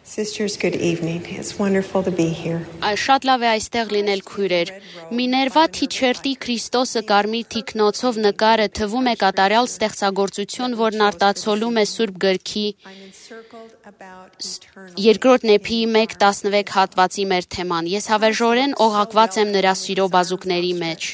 Sisters, good evening. It's wonderful to be here. Շատ լավ է այստեղ լինել քույրեր։ Միներվա Թիչերտի Քրիստոսը կարմիր թիկնոցով նկարը թվում է կատարյալ ստեղծագործություն, որն արտացոլում է Սուրբ Գրքի երկրորդ Նեփիի 1:16 հատվածի մեր թեման։ Ես հավերժորեն օղակված եմ նրա սիրո բազուկների մեջ։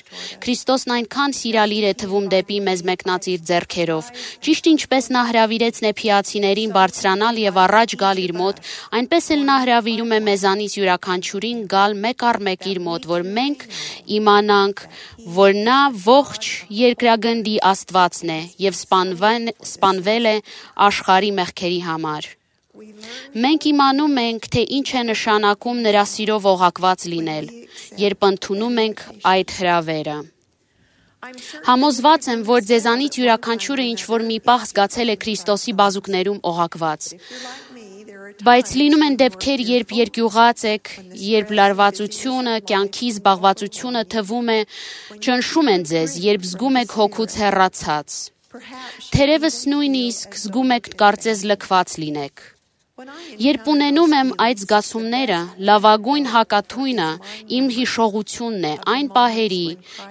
Քրիստոսն այնքան սիրալիր է թվում դեպի մեզ մեկնած իր ձեռքերով։ Ճիշտ ինչպես նա հրավիրեց նեփիացիներին բարձրանալ եւ առաջ գալ իր մոտ, այնպես էլ նա հրավիրում է մեզանից յուրաքանչյուրին գալ մեկ առ մեկ իր մոտ, որ մենք իմանանք, որ նա ողջ երկրագնդի Աստվածն է եւ սպանվել է աշխարհի մեղքերի համար։ Մենք իմանում ենք, թե ինչ է նշանակում նրա սիրով օղակված լինել, երբ ընդունում ենք այդ հրավերը։ Համոզված եմ, որ ձեզանից յուրաքանչյուրը ինչ-որ մի պահ զգացել է Քրիստոսի բազուկներում օղակված։ Բայց լինում են դեպքեր, երբ երկյուղած եք, երբ լարվածությունը, կյանքի զբաղվածությունը թվում է, ճնշում են ձեզ, երբ զգում եք հոգուց հեռացած։ Թերևս նույնիսկ զգում եք կարծես լքված լինեք։ Երբ ունենում եմ այդ զգացումները, լավագույն հակաթույնը իմ հիշողությունն է այն պահերի,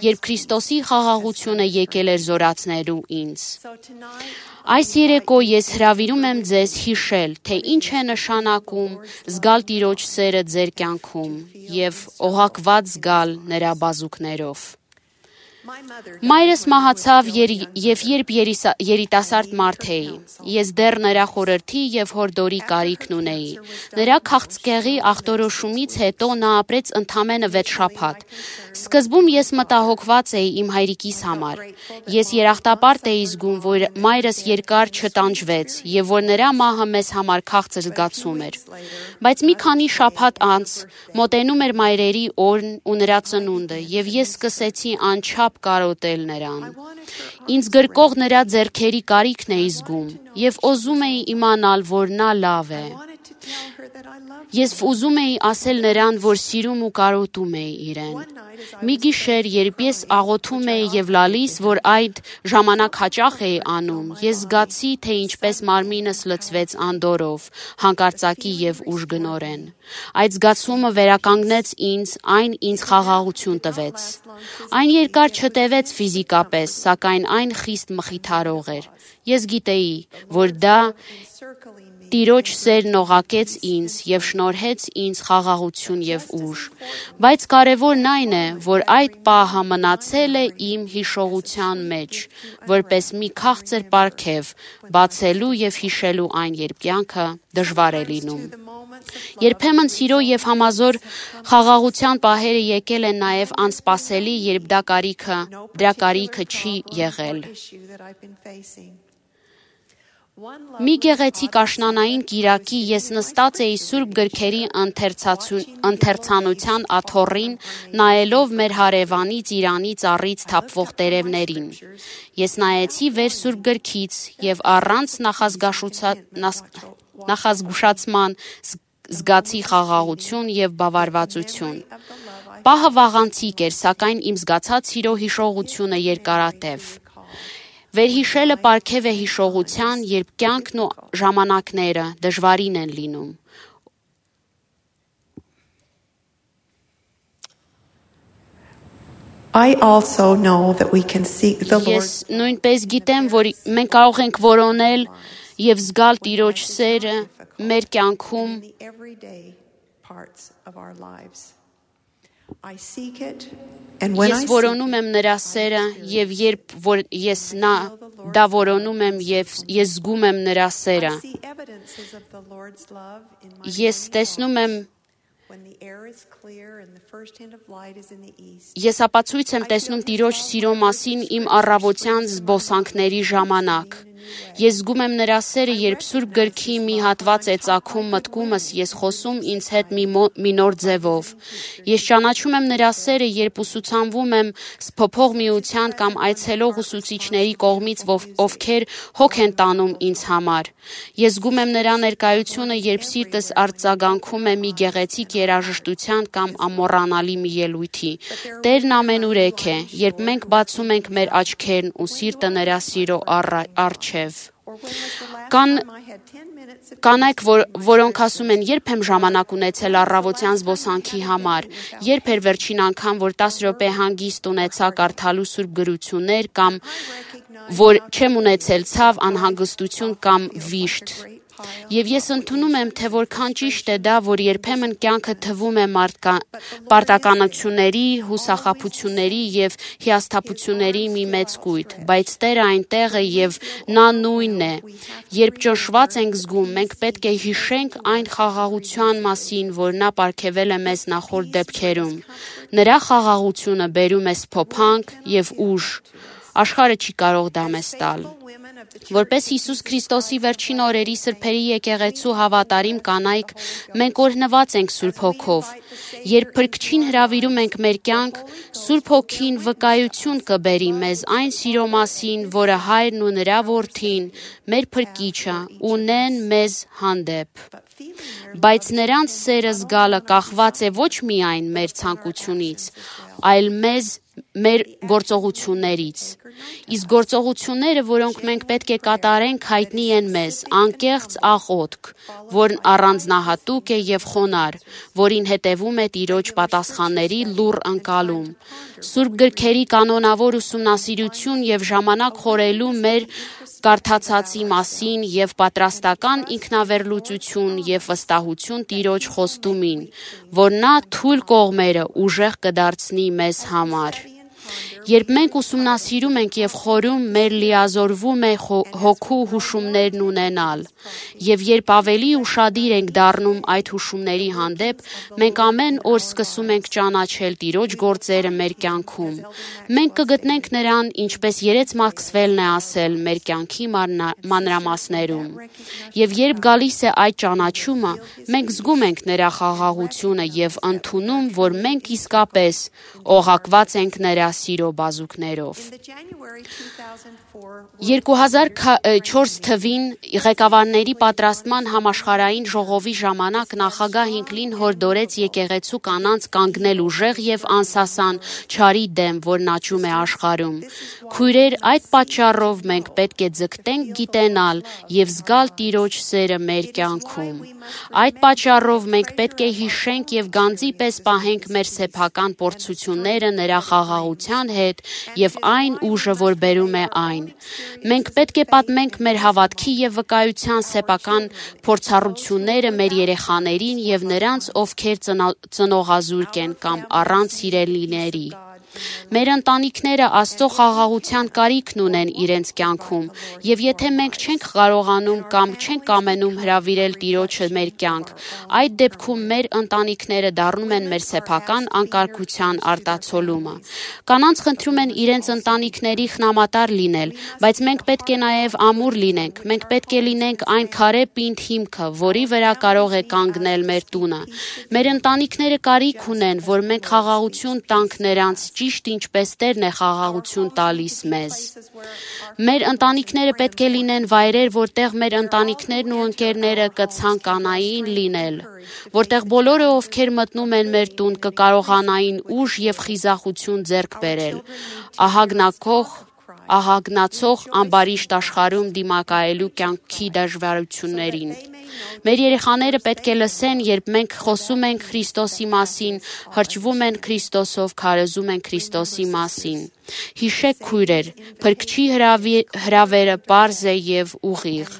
երբ Քրիստոսի խաղաղությունը եկել էր զորացնելու ինձ։ Այս երեկո ես հրավիրում եմ ձեզ հիշել, թե ինչ է նշանակում զգալ Տիրոջ սերը ձեր կյանքում և օղակված զգալ նրա բազուկներով։ Մայրս մահացավ և երբ երիտասարդ մարդ էի, ես դեռ նրա խորհրդի և հորդորի կարիքն ունեի։ Նրա քաղցկեղի ախտորոշումից հետո նա ապրեց ընդամենը 6 շաբաթ։ Սկզբում ես մտահոգված էի իմ հայրիկիս համար։ Ես երախտապարտ էի զգում, որ մայրս երկար չտանջվեց և որ նրա մահը մեզ համար քաղցր զգացում էր։ Բայց մի քանի շաբաթ անց մոտենում էր մայրերի օրն ու նրա ծնունդը, և ես սկսեցի անչափ կարոտել նրան։ Ինձ գրկող նրա ձեռքերի կարիքն էի զգում և ուզում էի իմանալ, որ նա լավ է։ Ես ուզում էի ասել նրան, որ սիրում ու կարոտում էի իրեն։ Մի գիշեր, երբ ես աղոթում էի և լալիս, որ այդ ժամանակ հաճախ էի անում, ես զգացի, թե ինչպես մարմինս լցվեց անդորրով, հանկարծակի և ուժգնորեն։ Այդ զգացումը վերականգնեց ինձ, այն ինձ խաղաղություն տվեց։ Այն երկար չտևեց ֆիզիկապես, սակայն այն խիստ մխիթարող էր։ Ես գիտեի, որ դա Տիրոջ սերն օղակեց ինձ և շնորհեց ինձ խաղաղություն և ուժ։ Բայց կարևորն այն է, որ այդ պահը մնացել է իմ հիշողության մեջ, որպես մի քաղցր պարգև, բացելու և հիշելու այն, երբ կյանքը դժվար է լինում։ Երբեմն սիրո և համազոր խաղաղության պահերը եկել են նաև անսպասելի, երբ դրա կարիքը չի եղել։ Մի գեղեցիկ աշնանային կիրակի ես նստած էի Սուրբ Գրքերի ընթերցանության աթոռին, նայելով մեր հարևանի ծիրանի ծառից թափվող տերևներին։ Ես նայեցի վեր Սուրբ Գրքից և առանց նախազգուշացման զգացի խաղաղություն և բավարարվածություն։ Պահը վաղանցիկ էր, սակայն իմ զգացած սիրո հիշողությունը երկարատև։ Վերհիշելը պարգև է հիշողության, երբ կյանքն ու ժամանակները դժվարին են լինում։ I also know that we can seek the Lord. Ես նույնպես գիտեմ, որ մենք կարող ենք որոնել և զգալ Տիրոջ սերը մեր կյանքում Ես որոնում եմ նրա սերը և երբ որ ես դա որոնում եմ և ես զգում եմ նրա սերը, ես տեսնում եմ Ես ապացույց եմ տեսնում Տիրոջ սիրո մասին իմ առավոտյան զբոսանքների ժամանակ։ Ես զգում եմ նրա սերը, երբ Սուրբ Գրքի մի հատված է ծագում մտքումս, ես խոսում ինձ հետ մի նոր ձևով։ Ես ճանաչում եմ նրա սերը, երբ ուսուցանվում եմ սփոփող միության կամ այցելող ուսուցիչների կողմից, ովքեր հոգ են տանում ինձ համար։ Ես զգում եմ նրա ներկայությունը, երբ սիրտս արձագանքում է մի գեղեցիկ երաժշտության կամ ամոռանալի մի ելույթի։ Տերն ամենուրեք է, երբ մենք բացում ենք մեր աչքերն ու սիրտը նրա սիրո առջև Կանայք, որոնք ասում են, երբ եմ ժամանակ ունեցել առավոտյան զբոսանքի համար, երբ էր վերջին անգամ, որ 10 րոպե հանգիստ ունեցա կարդալու սուրբ գրություններ կամ որ չեմ ունեցել ցավ, անհանգստություն կամ վիշտ։ Եվ ես ընդունում եմ, թե որքան ճիշտ է դա, որ երբեմն կյանքը թվում է պարտականությունների, հուսախաբությունների և հիասթափությունների մի մեծ կույտ, բայց Տերը այնտեղ է և նա նույնն է։ Երբ ճնշված ենք զգում, մենք պետք է հիշենք այն խաղաղության մասին, որ նա պարգևել է մեզ նախորդ դեպքերում։ Նրա խաղաղությունը բերում է սփոփանք և ուժ։ Աշխարհը չի կարող դա մեզ տալ։ Որպես Հիսուս Քրիստոսի վերջին օրերի սրբերի եկեղեցու հավատարիմ կանայք, մենք օրհնված ենք Սուրբ Հոգով։ Երբ Փրկչին հրավիրում ենք մեր կյանք, Սուրբ Հոգին վկայություն կբերի մեզ այն սիրո մասին, որը Հայրն ու նրա Որդին, մեր Փրկիչը, ունեն մեզ հանդեպ։ Բայց նրանց սերը զգալը կախված է ոչ միայն մեր ցանկությունից, այլ մեր գործողություններից։ Իսկ գործողությունները, որոնք մենք պետք է կատարենք, հայտնի են մեզ, անկեղծ աղոթք, որն առանձնահատուկ է և խոնարհ, որին հետևում է Տիրոջ պատասխանների լուռ ընկալում, Սուրբ գրքերի կանոնավոր ուսումնասիրություն և ժամանակ խորելու մեր կարդացածի մասին և պատրաստական ինքնավերլուծություն և վստահություն Տիրոջ խոստումին, որ նա թույլ կողմերը ուժեղ կդարձնի մեզ համար։ Երբ մենք ուսումնասիրում ենք և խորում, մեր լիազորվում է հոգու հուշումներն ունենալ, և երբ ավելի ուշադիր ենք դառնում այդ հուշումների հանդեպ, մենք ամեն օր սկսում ենք ճանաչել Տիրոջ գործերը մեր կյանքում։ Մենք կգտնենք նրան, ինչպես Երեց Մաքսվելն է ասել, մեր կյանքի մանրամասներում։ Եվ երբ գալիս է այդ ճանաչումը, մենք զգում ենք նրա խաղաղությունը և ընդունում, որ մենք իսկապես օղակված ենք նրա սիրո բազուկներով։ 2004 թվին ղեկավարների պատրաստման համաշխարհային ժողովի ժամանակ նախագահ Հինքլին հորդորեց եկեղեցու կանանց կանգնել ուժեղ և անսասան չարի դեմ, որն աճում է աշխարհում։ Քույրեր, այդ պատճառով մենք պետք է ձգտենք գիտենալ և զգալ Տիրոջ սերը մեր կյանքում։ Այդ պատճառով մենք պետք է հիշենք և գանձի պես պահենք մեր սեփական փորձությունները նրա խաղաղության հետ և այն ուժը, որ բերում է այն։ Մենք պետք է պատմենք մեր հավատքի և վկայության սեփական փորձառությունները մեր երեխաներին և նրանց, ովքեր ծնողազուրկ են կամ առանց սիրելիների։ Մեր ընտանիքները Աստծո խաղաղության կարիքն ունեն իրենց կյանքում, և եթե մենք չենք կարողանում կամ չենք կամենում հրավիրել Տիրոջը մեր կյանք, այդ դեպքում մեր ընտանիքները դառնում են մեր սեփական անկարգության արտացոլումը։ Կանանց խնդրում են իրենց ընտանիքների խնամատար լինել, բայց մենք պետք է նաև ամուր լինենք։ Մենք պետք է լինենք այն քարե պինդ հիմքը, որի վրա կարող է կանգնել մեր տունը։ Մեր ընտանիքները կարիք ունեն, որ մենք խաղաղություն տանք նրանց, ճիշտ ինչպես Տերն է խաղաղություն տալիս մեզ։ Մեր ընտանիքները պետք է լինեն վայրեր, որտեղ մեր ընտանիքներն ու ընկերները կցանկանային լինել, որտեղ բոլորը, ովքեր մտնում են մեր տուն, կկարողանային ուժ և խիզախություն ձեռք բերել, ահագնացող ամբարիշտ աշխարհում դիմակայելու կյանքի դժվարություններին։ Մեր երեխաները պետք է լսեն, երբ մենք խոսում ենք Քրիստոսի մասին, հրճվում են Քրիստոսով, քարոզում են Քրիստոսի մասին։ Հիշեք, քույրեր, Փրկչի հրավերը պարզ է և ուղիղ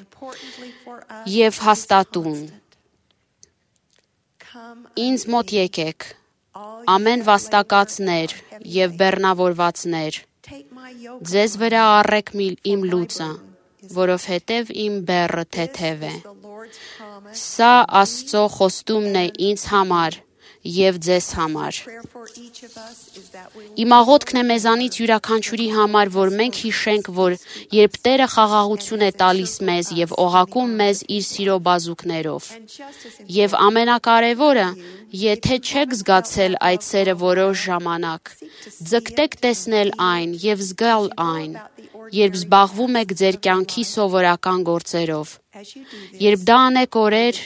և հաստատուն։ Ինձ մոտ եկեք, ամեն վաստակածներ և բեռնավորվածներ, ձեզ վրա առեք իմ լուծը, որովհետև իմ բեռը թեթև է։ Սա Աստծո խոստումն է ինձ համար և ձեզ համար։ Իմ աղոթքն է մեզանից յուրաքանչյուրի համար, որ մենք հիշենք, որ երբ Տերը խաղաղություն է տալիս մեզ և օղակում մեզ իր սիրո բազուկներով, և ամենակարևորը, եթե չեք զգացել այդ սերը որոշ ժամանակ, ձգտեք տեսնել այն և զգալ այն, երբ զբաղվում եք ձեր կյանքի սովորական գործերով։ Երբ դա անեք օրեր,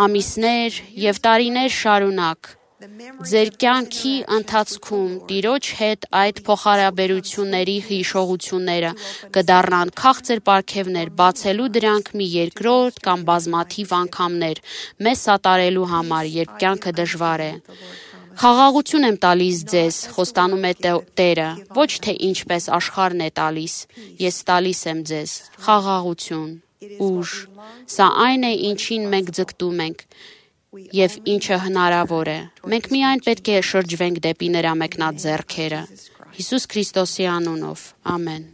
ամիսներ և տարիներ շարունակ, Ձեր կյանքի ընթացքում Տիրոջ հետ այդ փոխհարաբերությունների հիշողությունները կդառնան քաղցր պարգևներ, բացելու դրանք մի երկրորդ կամ բազմաթիվ անգամներ մեզ սատարելու համար, երբ կյանքը դժվար է։ Խաղաղություն եմ տալիս ձեզ, խոստանում է Տերը, ոչ թե ինչպես աշխարհն է տալիս, ես տալիս եմ ձեզ խաղաղություն, ուժ։ Սա այն է, ինչին մենք ձգտում ենք և ինչը հնարավոր է։ Մենք միայն պետք է շրջվենք դեպի նրա մեկնած ձեռքերը։ Հիսուս Քրիստոսի անունով։ Ամեն։